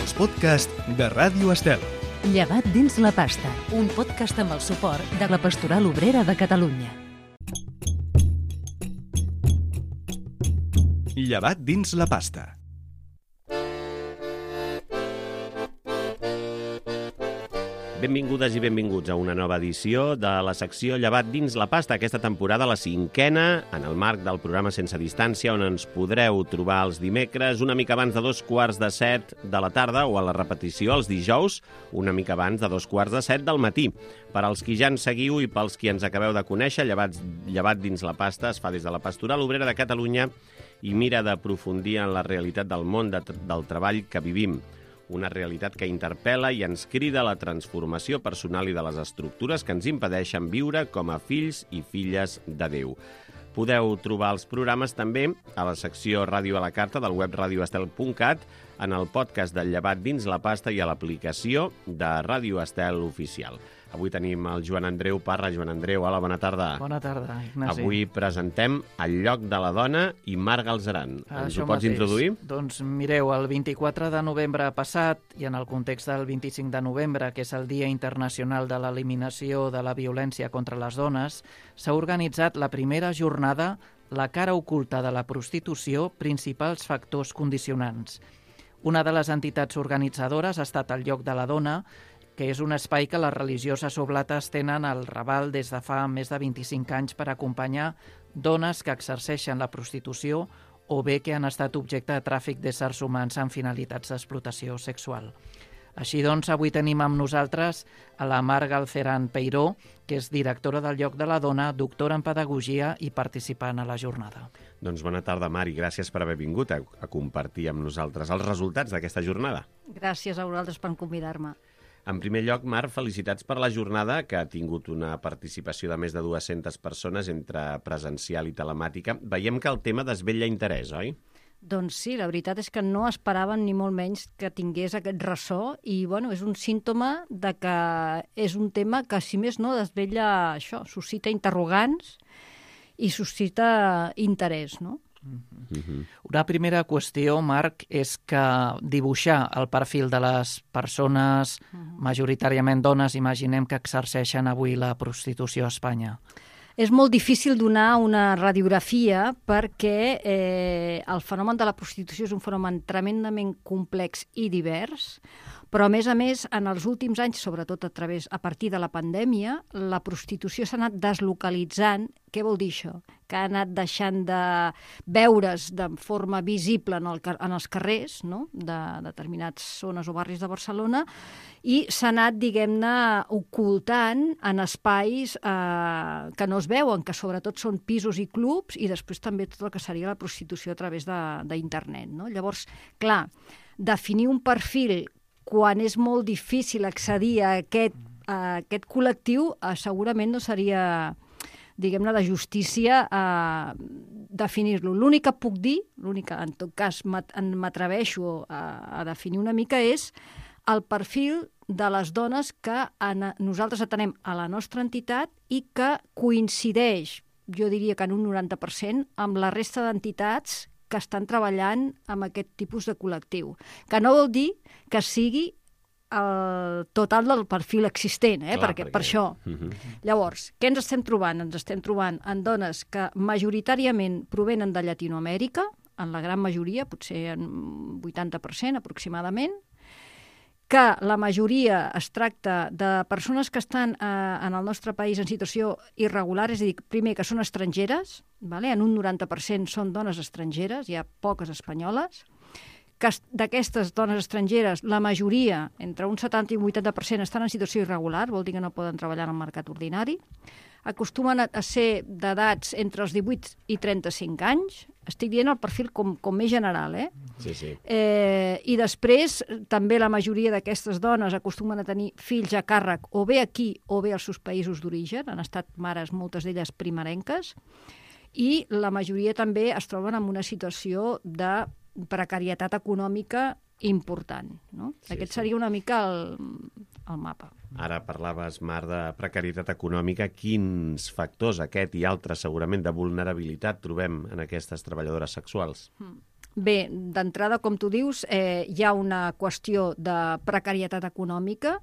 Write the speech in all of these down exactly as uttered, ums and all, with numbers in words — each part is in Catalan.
els podcasts de Ràdio Estel. Llevat dins la pasta, un podcast amb el suport de la Pastoral Obrera de Catalunya. Llevat dins la pasta. Benvingudes i benvinguts a una nova edició de la secció Llevat dins la pasta, aquesta temporada, la cinquena, en el marc del programa Sense Distància, on ens podreu trobar els dimecres una mica abans de dos quarts de set de la tarda o a la repetició els dijous una mica abans de dos quarts de set del matí. Per als qui ja ens seguiu i pels qui ens acabeu de conèixer, Llevat, Llevat dins la pasta es fa des de la Pastoral Obrera de Catalunya i mira d'aprofundir en la realitat del món de, del treball que vivim. Una realitat que interpel·la i ens crida a la transformació personal i de les estructures que ens impedeixen viure com a fills i filles de Déu. Podeu trobar els programes també a la secció Ràdio a la Carta del web radioestel punt cat, en el podcast del Llevat dins la pasta i a l'aplicació de Ràdio Estel Oficial. Avui tenim el Joan Andreu Parra. Joan Andreu, hola, bona tarda. Bona tarda, Ignasi. Avui presentem El lloc de la dona i Marc Galzeran. Ens ho pots introduir? Doncs mireu, el vint-i-quatre de novembre passat, i en el context del vint-i-cinc de novembre, que és el Dia Internacional de l'Eliminació de la Violència contra les Dones, s'ha organitzat la primera jornada La cara oculta de la prostitució, principals factors condicionants. Una de les entitats organitzadores ha estat el Lloc de la Dona, que és un espai que les religioses oblates tenen al Raval des de fa més de vint-i-cinc anys per acompanyar dones que exerceixen la prostitució o bé que han estat objecte de tràfic d'éssers humans amb finalitats d'explotació sexual. Així doncs, avui tenim amb nosaltres a la Mar Galzeran Peiró, que és directora del Lloc de la Dona, doctora en Pedagogia i participant a la jornada. Doncs bona tarda, Mar, i gràcies per haver vingut a, a compartir amb nosaltres els resultats d'aquesta jornada. Gràcies a vosaltres per convidar-me. En primer lloc, Mar, felicitats per la jornada, que ha tingut una participació de més de dues-centes persones entre presencial i telemàtica. Veiem que el tema desvetlla interès, oi? Doncs sí, la veritat és que no esperaven ni molt menys que tingués aquest ressò i bueno, és un símptoma de que és un tema que, si més no, desvetlla això, suscita interrogants i suscita interès, no? Mm-hmm. Una primera qüestió, Marc, és que dibuixar el perfil de les persones, majoritàriament dones, imaginem que exerceixen avui la prostitució a Espanya. És molt difícil donar una radiografia perquè eh, el fenomen de la prostitució és un fenomen tremendament complex i divers, però a més a més, en els últims anys, sobretot a través a partir de la pandèmia, la prostitució s'ha anat deslocalitzant. Què vol dir això? Que ha anat deixant de veure's de forma visible en, el, en els carrers, no?, de determinats zones o barris de Barcelona, i s'ha anat, diguem-ne, ocultant en espais eh, que no es veuen, que sobretot són pisos i clubs, i després també tot el que seria la prostitució a través d'internet, no? Llavors, clar, definir un perfil quan és molt difícil accedir a aquest, a aquest col·lectiu, eh, segurament no seria, diguem-ne, de justícia eh, definir-lo. L'únic que puc dir, l'únic que en tot cas m'atreveixo a, a definir una mica, és el perfil de les dones que en, nosaltres atenem a la nostra entitat i que coincideix, jo diria que en un noranta per cent, amb la resta d'entitats que estan treballant amb aquest tipus de col·lectiu. Que no vol dir que sigui el total del perfil existent, eh? Clar, perquè, perquè... per això. Uh-huh. Llavors, què ens estem trobant? Ens estem trobant en dones que majoritàriament provenen de Llatinoamèrica, en la gran majoria, potser en vuitanta per cent aproximadament, que la majoria es tracta de persones que estan eh, en el nostre país en situació irregular, és a dir, primer que són estrangeres, vale? En un noranta per cent són dones estrangeres, hi ha poques espanyoles, que d'aquestes dones estrangeres, la majoria, entre un setanta i un vuitanta per cent, estan en situació irregular, vol dir que no poden treballar en el mercat ordinari, acostumen a ser d'edats entre els divuit i trenta-cinc anys, estic dient el perfil com, com més general, eh? Sí, sí. Eh, I després, també la majoria d'aquestes dones acostumen a tenir fills a càrrec o bé aquí o bé als seus països d'origen, han estat mares, moltes d'elles primerenques, i la majoria també es troben en una situació de precarietat econòmica important, no? Sí, Aquest sí. seria una mica el, el mapa. Ara parlaves, Mar, de precarietat econòmica. Quins factors, aquest i altres, segurament, de vulnerabilitat trobem en aquestes treballadores sexuals? Mm. Bé, d'entrada, com tu dius, eh, hi ha una qüestió de precarietat econòmica.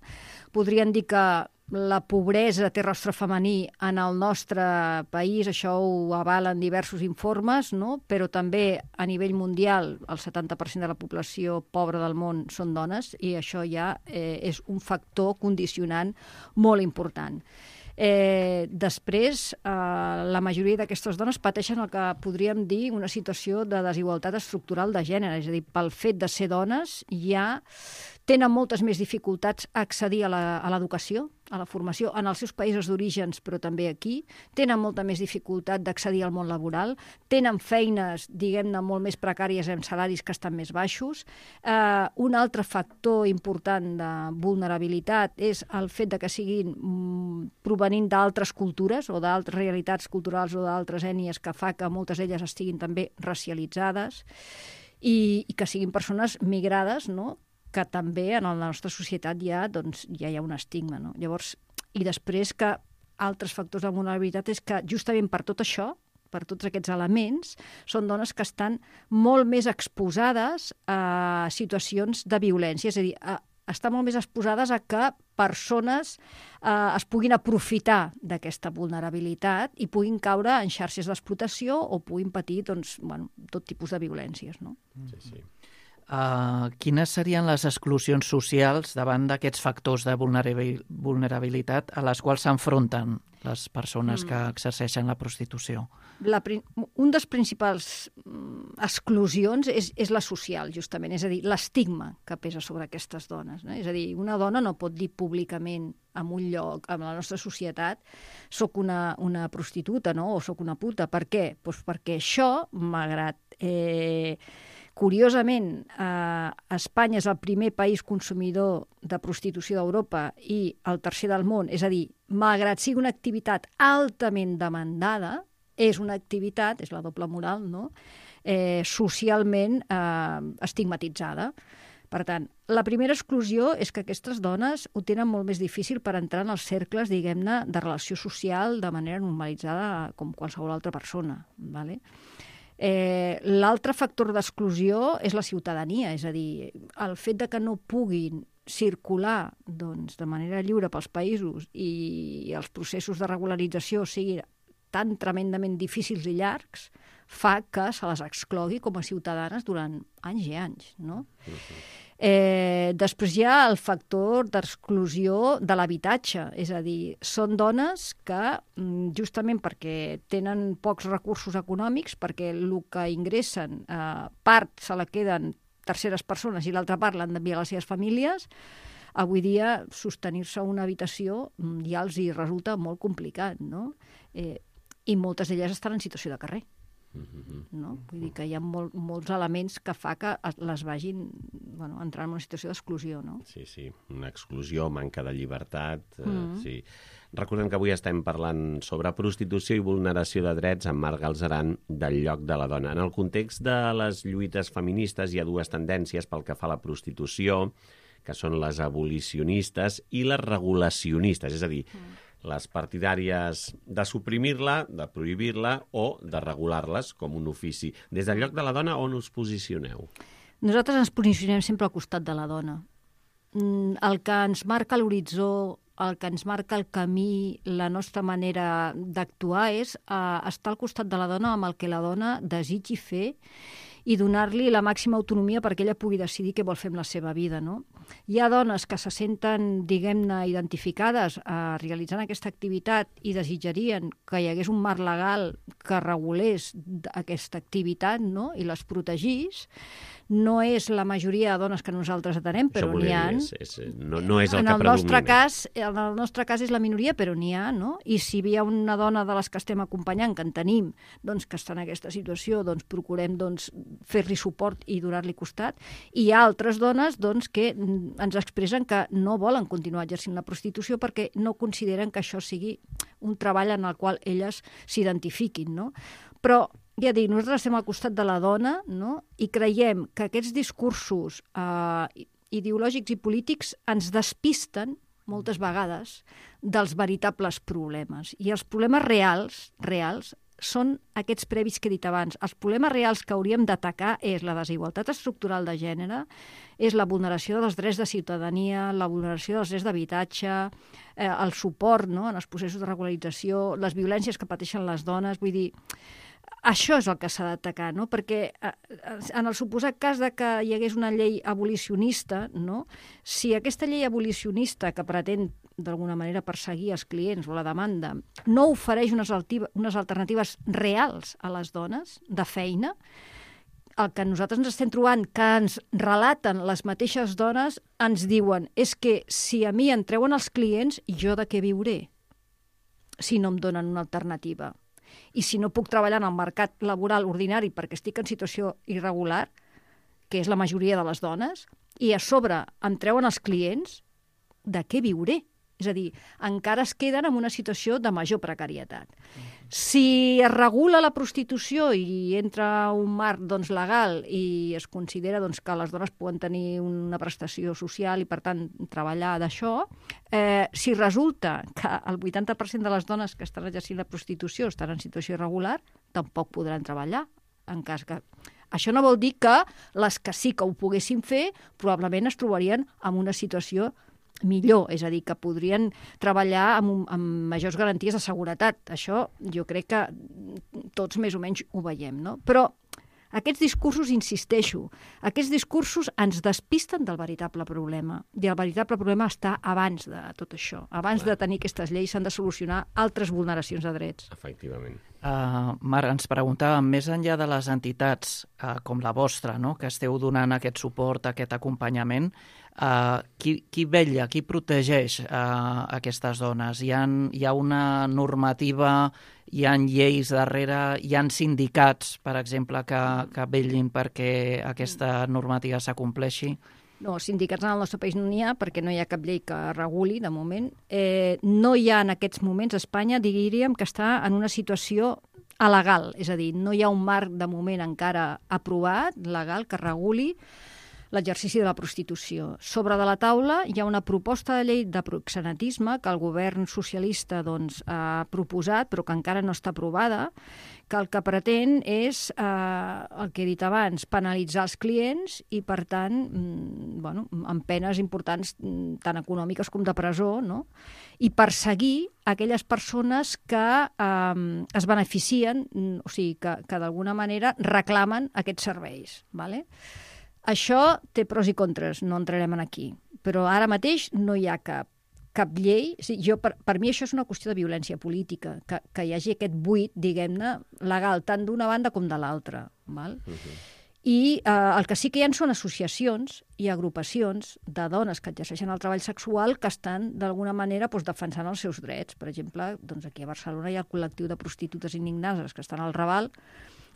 Podríem dir que la pobresa té rostre femení en el nostre país, això ho avalen diversos informes, no? Però també a nivell mundial el setanta per cent de la població pobra del món són dones i això ja eh, és un factor condicionant molt important. Eh, després, eh, la majoria d'aquestes dones pateixen el que podríem dir una situació de desigualtat estructural de gènere, és a dir, pel fet de ser dones ja tenen moltes més dificultats a accedir a l'educació, a la formació, en els seus països d'orígens, però també aquí, tenen molta més dificultat d'accedir al món laboral, tenen feines, diguem-ne, molt més precàries amb salaris que estan més baixos. Eh, un altre factor important de vulnerabilitat és el fet de que siguin mm, provenint d'altres cultures o d'altres realitats culturals o d'altres ètnies que fa que moltes d'elles estiguin també racialitzades i, i que siguin persones migrades, no?, que també en la nostra societat ja, doncs, ja hi ha un estigma. No? Llavors, i després que altres factors de vulnerabilitat és que justament per tot això, per tots aquests elements, són dones que estan molt més exposades a situacions de violència, és a dir, a, estan molt més exposades a que persones eh, es puguin aprofitar d'aquesta vulnerabilitat i puguin caure en xarxes d'explotació o puguin patir doncs, bueno, tot tipus de violències. No? Sí, sí. Uh, quines serien les exclusions socials davant d'aquests factors de vulnerabilitat a les quals s'enfronten les persones mm. que exerceixen la prostitució? La, un dels principals exclusions és, és la social, justament, és a dir, l'estigma que pesa sobre aquestes dones. No? És a dir, una dona no pot dir públicament en un lloc, en la nostra societat, soc una, una prostituta, no? O soc una puta. Per què? Pues perquè això, malgrat... Eh, Curiosament, eh, Espanya és el primer país consumidor de prostitució d'Europa i el tercer del món. És a dir, malgrat sigui una activitat altament demandada, és una activitat, és la doble moral, no?, eh, socialment eh, estigmatitzada. Per tant, la primera exclusió és que aquestes dones ho tenen molt més difícil per entrar en els cercles, diguem-ne, de relació social de manera normalitzada com qualsevol altra persona, ¿vale? Eh, l'altre factor d'exclusió és la ciutadania, és a dir, el fet de que no puguin circular doncs, de manera lliure pels països i els processos de regularització siguin tan tremendament difícils i llargs fa que se les exclogui com a ciutadanes durant anys i anys, no? Eh, després hi ha el factor d'exclusió de l'habitatge, és a dir, són dones que justament perquè tenen pocs recursos econòmics, perquè el que ingressen eh, part se la queden terceres persones i l'altra part l'han d'enviar a les seves famílies, avui dia sostenir-se a una habitació ja els hi resulta molt complicat, no? Eh, i moltes d'elles estan en situació de carrer. No? Vull dir que hi ha molt, molts elements que fa que les vagin bueno, entrar en una situació d'exclusió. No? Sí, sí, una exclusió, manca de llibertat. Mm. Eh, sí. Recordem que avui estem parlant sobre prostitució i vulneració de drets amb Marc Galzeran del lloc de la dona. En el context de les lluites feministes hi ha dues tendències pel que fa a la prostitució, que són les abolicionistes i les regulacionistes, és a dir, mm. les partidàries de suprimir-la, de prohibir-la o de regular-les com un ofici. Des del lloc de la dona, on us posicioneu? Nosaltres ens posicionem sempre al costat de la dona. El que ens marca l'horitzó, el que ens marca el camí, la nostra manera d'actuar és eh, estar al costat de la dona amb el que la dona desitgi fer i donar-li la màxima autonomia perquè ella pugui decidir què vol fer amb la seva vida. No? Hi ha dones que se senten, diguem-ne, identificades eh, realitzant aquesta activitat i desitjarien que hi hagués un marc legal que regulés aquesta activitat, no? I les protegís. No és la majoria de dones que nosaltres atenem, però n'hi ha. És, és, no, no és el en que el predomina. Nostre cas, en el nostre cas és la minoria, però n'hi ha, no? I si hi ha una dona de les que estem acompanyant, que en tenim, doncs, que està en aquesta situació, doncs procurem doncs, fer-li suport i donar-li costat. I hi ha altres dones doncs, que ens expressen que no volen continuar exercint la prostitució perquè no consideren que això sigui un treball en el qual elles s'identifiquin, no? Però ja dic, nosaltres estem al costat de la dona, no? I creiem que aquests discursos eh, ideològics i polítics ens despisten moltes vegades dels veritables problemes. I els problemes reals, reals són aquests previs que he dit abans. Els problemes reals que hauríem d'atacar és la desigualtat estructural de gènere, és la vulneració dels drets de ciutadania, la vulneració dels drets d'habitatge, eh, el suport, no?, en els processos de regularització, les violències que pateixen les dones. Vull dir, això és el que s'ha d'atacar, no? Perquè en el suposat cas de que hi hagués una llei abolicionista, no? Si aquesta llei abolicionista que pretén d'alguna manera perseguir els clients o la demanda no ofereix unes, unes alternatives reals a les dones de feina, el que nosaltres ens estem trobant, que ens relaten les mateixes dones, ens diuen és que si a mi em treuen els clients, jo de què viuré si no em donen una alternativa? I si no puc treballar en el mercat laboral ordinari perquè estic en situació irregular, que és la majoria de les dones, i a sobre em treuen els clients, de què viuré? És a dir, encara es queden en una situació de major precarietat. Si es regula la prostitució i entra un marc doncs, legal i es considera doncs, que les dones poden tenir una prestació social i, per tant, treballar d'això, eh, si resulta que el vuitanta per cent de les dones que estan exercint la prostitució estan en situació irregular, tampoc podran treballar, en cas que... Això no vol dir que les que sí que ho poguessin fer probablement es trobarien en una situació millor, és a dir, que podrien treballar amb, un, amb majors garanties de seguretat. Això jo crec que tots més o menys ho veiem, no? Però aquests discursos, insisteixo, aquests discursos ens despisten del veritable problema. I el veritable problema està abans de tot això. Abans Clar. de tenir aquestes lleis s'han de solucionar altres vulneracions de drets. Efectivament. Uh, Marc, ens preguntàvem, més enllà de les entitats uh, com la vostra, no?, que esteu donant aquest suport, aquest acompanyament, uh, qui, qui vetlla, qui protegeix uh, aquestes dones? Hi ha, hi ha una normativa, hi ha lleis darrere, hi ha sindicats, per exemple, que, que vetllin perquè aquesta normativa s'acompleixi? No, sindicats en el nostre país no n'hi ha perquè no hi ha cap llei que reguli, de moment. Eh, no hi ha en aquests moments a Espanya, diríem, que està en una situació alegal, és a dir, no hi ha un marc de moment encara aprovat, legal, que reguli l'exercici de la prostitució. Sobre de la taula hi ha una proposta de llei de proxenetisme que el govern socialista doncs, ha proposat, però que encara no està aprovada, que el que pretén és, eh, el que he dit abans, penalitzar els clients i, per tant, mm, bueno, amb penes importants tant econòmiques com de presó, no? I perseguir aquelles persones que eh, es beneficien, o sigui, que, que d'alguna manera reclamen aquests serveis, ¿vale? Això té pros i contres, no entrarem en aquí, però ara mateix no hi ha cap, cap llei. O sigui, jo, per, per mi això és una qüestió de violència política, que, que hi hagi aquest buit, diguem-ne, legal, tant d'una banda com de l'altra. Val? Uh-huh. I eh, el que sí que hi ha són associacions i agrupacions de dones que exerceixen el treball sexual que estan, d'alguna manera, doncs, defensant els seus drets. Per exemple, doncs aquí a Barcelona hi ha el col·lectiu de prostitutes indignades que estan al Raval,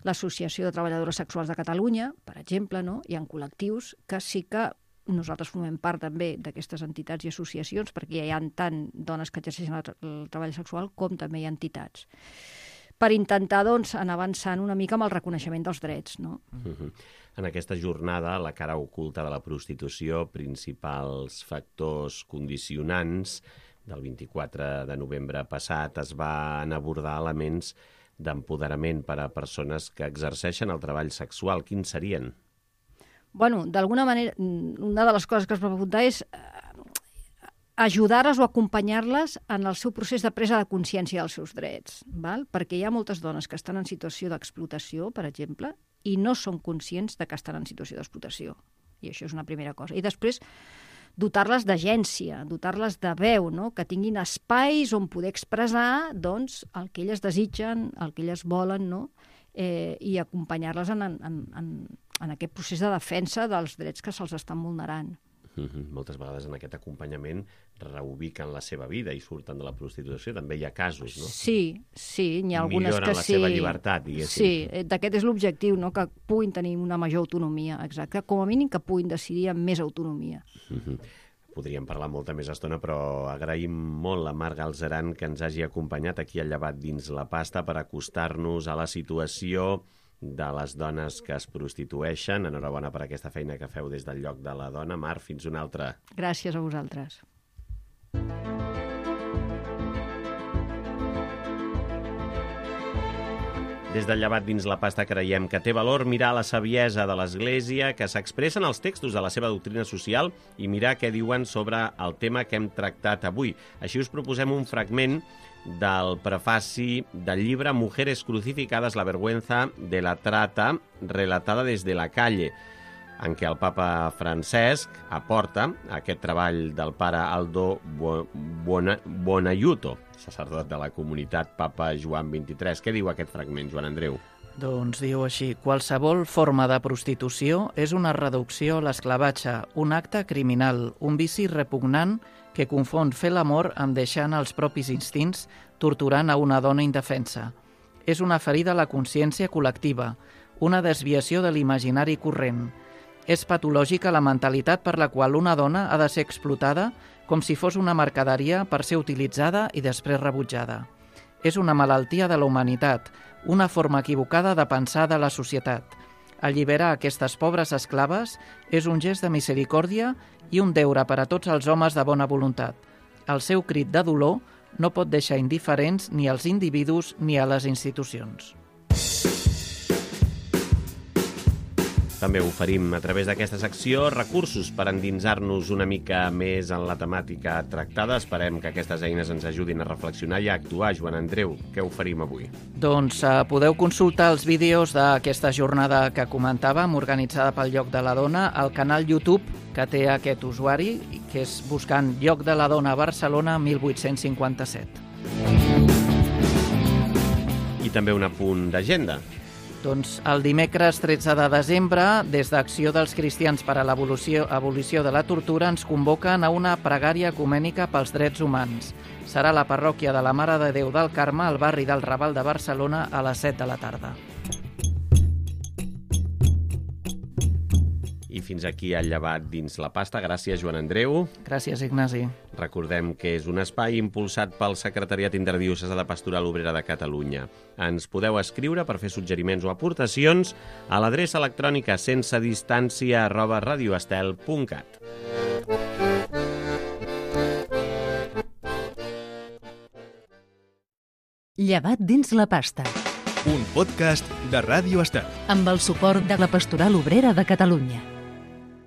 l'Associació de Treballadores Sexuals de Catalunya, per exemple, no? Hi ha col·lectius que sí que nosaltres formem part també d'aquestes entitats i associacions, perquè hi ha tant dones que exerceixen el treball sexual com també hi ha entitats, per intentar doncs, anar avançant una mica amb el reconeixement dels drets. No? Uh-huh. En aquesta jornada, la cara oculta de la prostitució, principals factors condicionants del vint-i-quatre de novembre passat, es van abordar elements d'empoderament per a persones que exerceixen el treball sexual. Quins serien? Bueno, d'alguna manera, una de les coses que es va preguntar és ajudar-les o acompanyar-les en el seu procés de presa de consciència dels seus drets, val? Perquè hi ha moltes dones que estan en situació d'explotació, per exemple, i no són conscients de que estan en situació d'explotació. I això és una primera cosa. I després, dotar-les d'agència, dotar-les de veu, no? Que tinguin espais on poder expressar doncs, el que elles desitgen, el que elles volen, no? eh, i acompanyar-les en, en, en, en aquest procés de defensa dels drets que se'ls estan vulnerant. Mm-hmm. Moltes vegades en aquest acompanyament reubiquen la seva vida i surten de la prostitució. També hi ha casos, no? Sí, sí, n'hi ha algunes Milloren que la sí. seva llibertat, diguéssim. Sí, d'aquest és l'objectiu, no? Que puguin tenir una major autonomia, exacte. Com a mínim que puguin decidir amb més autonomia. Mm-hmm. Podríem parlar molta més estona, però agraïm molt a Marc Galzeran que ens hagi acompanyat aquí al Llevat dins la pasta per acostar-nos a la situació de les dones que es prostitueixen. Enhorabona per aquesta feina que feu des del lloc de la dona. Marc, fins una altra. Gràcies a vosaltres. Des del Llevat dins la pasta creiem que té valor mirar la saviesa de l'Església que s'expressa en els textos de la seva doctrina social i mirar què diuen sobre el tema que hem tractat avui. Així us proposem un fragment del prefaci del llibre Mujeres crucificadas, la vergüenza de la trata, relatada desde la calle, en què el papa Francesc aporta aquest treball del pare Aldo Buonaiuto, sacerdot de la comunitat Papa Joan vint-i-tres. Què diu aquest fragment, Joan Andreu? Doncs diu així: qualsevol forma de prostitució és una reducció a l'esclavatge, un acte criminal, un vici repugnant que confon fer l'amor amb deixar anar els propis instints, torturant a una dona indefensa. És una ferida a la consciència col·lectiva, una desviació de l'imaginari corrent. És patològica la mentalitat per la qual una dona ha de ser explotada com si fos una mercaderia per ser utilitzada i després rebutjada. És una malaltia de la humanitat, una forma equivocada de pensar de la societat. Alliberar aquestes pobres esclaves és un gest de misericòrdia i un deure per a tots els homes de bona voluntat. El seu crit de dolor no pot deixar indiferents ni als individus ni a les institucions. També oferim a través d'aquesta secció recursos per endinsar-nos una mica més en la temàtica tractada. Esperem que aquestes eines ens ajudin a reflexionar i a actuar. Joan Andreu, què oferim avui? Doncs eh, podeu consultar els vídeos d'aquesta jornada que comentàvem, organitzada pel Lloc de la Dona, al canal YouTube que té aquest usuari, que és buscant Lloc de la Dona Barcelona mil vuit-cents cinquanta-set. I també un apunt d'agenda. Doncs el dimecres tretze de desembre, des d'Acció dels Cristians per a l'Abolició abolició de la Tortura, ens convoquen a una pregària ecumènica pels drets humans. Serà a la parròquia de la Mare de Déu del Carme, al barri del Raval de Barcelona, a les set de la tarda. I fins aquí el Llevat dins la pasta. Gràcies, Joan Andreu. Gràcies, Ignasi. Recordem que és un espai impulsat pel Secretariat Interdiocesà de Pastoral Obrera de Catalunya. Ens podeu escriure per fer suggeriments o aportacions a l'adreça electrònica sense distància arroba radioestel punt cat. Llevat dins la pasta. Un podcast de Ràdio Estel. Amb el suport de la Pastoral Obrera de Catalunya.